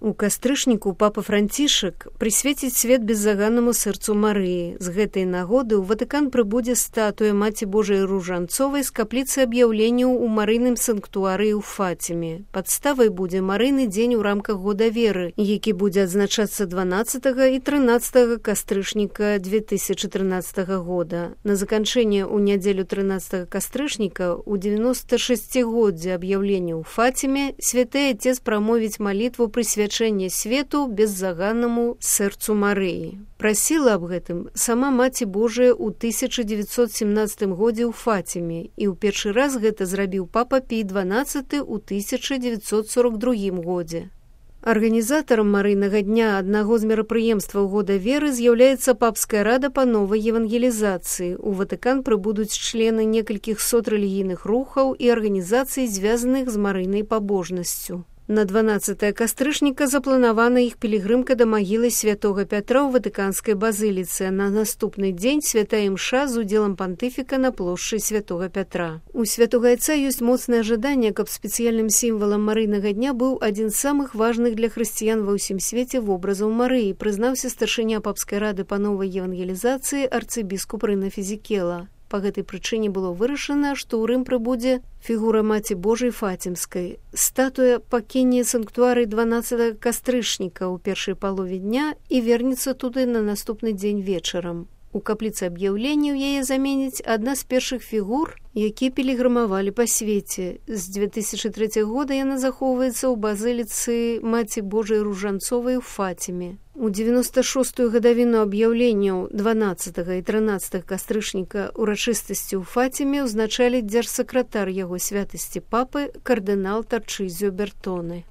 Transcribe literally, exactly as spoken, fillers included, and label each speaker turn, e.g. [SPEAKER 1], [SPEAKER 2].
[SPEAKER 1] У кастрычніку папа Францішак прысвеціць свет беззаганнаму сэрцу Марыі. З гэтай нагоды ў Ватыкан прыбудзе статуя Маці Божай Ружанцовай з капліцы аб'яўленняў у марыйным санктуарыі ў Фаціме. Падставай будзе марыйны дзень у рамках года веры, які будзе адзначацца дванаццатага і трынаццатага кастрычніка две тысячы трынаццатага года. На заканчэнне ў нядзелю трынаццатага кастрычніка ў дзевяноста шасцігоддзе аб'яўлення ў Фаціме святы Отец прамовіць малітву прысвячэння свету беззаганнаму сэрцу Марыі. Прасіла аб гэтым сама Маці Божая ў тысяча дзевяцьсот семнаццатым годзе ў Фаціме, і ў першы раз гэта зрабіў папа Пій дванаццаты ў тысяча дзевяцьсот сорок другім годзе. Арганізатарам марыйнага дня аднаго з мерапрыемстваў года веры з'яўляецца папская рада па новай евангелізацыі. У Ватыкан прыбудуць члены некалькіх сот рэлігійных рухаў і арганізацый, звязаных з марыйнай пабожнасцю. На дванаццатае кастрычніка запланавана іх пілігрымка да магілы святога Пятра ў Ватыканскай базыліцы, а на наступны дзень святая імша з удзелам пантыфіка на плошчы святога Пятра. У святога Айца ёсць моцнае жаданне, каб спецыяльным сімвалам марыйнага дня быў адзін з самых важных для хрысціян ва ўсім свеце вобразаў Марыі, прызнаўся старшыня папскай рады па новай евангелізацыі арцыбіскуп Рына Фізікела. Па гэтай прычыне было вырашана, што ў Рым прыбудзе фігура Маці Божай Фацімскай. Статуя пакіне санктуарый дванаццатага кастрычніка ў першай палове дня і вернецца туды на наступны дзень вечарам. У капліцы аб'яўленняў яе заменіць адна з першых фігур, якія пілігрымавалі па свеце. З две тысячы трэцяга года яна захоўваецца ў базыліцы Маці Божай Ружанцовай у Фаціме. У дзевяноста шостую гадавіну аб'яўленняў дванаццатага і трынаццатага кастрычніка урачыстасці ў Фаціме ўзначалі дзяржсакратар яго святасці папы кардынал Тарчызіо Бертоне.